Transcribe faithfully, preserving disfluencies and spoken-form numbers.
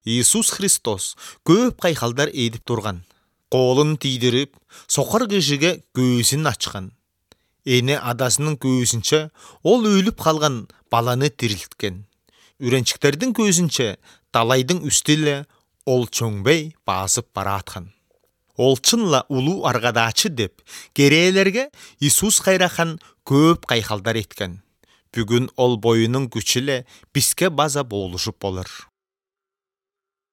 Иисус Христос көп кайхалдар эдип турган. Колун тийдирип, сокор кишиге көзүн ачкан. Эне адасынын көзүнчө ол өлүп калган баланы тирилткен. Үрөнчүктердин көзүнчө талайдын үстүлө ол чөңбөй басып бараткан. Ол чынла улуу аргадачы деп керээлерге Иисус кайрахан көп кайхалдар эткен. Бүгүн ол боюнун күчү эле бизге база болушуп болор.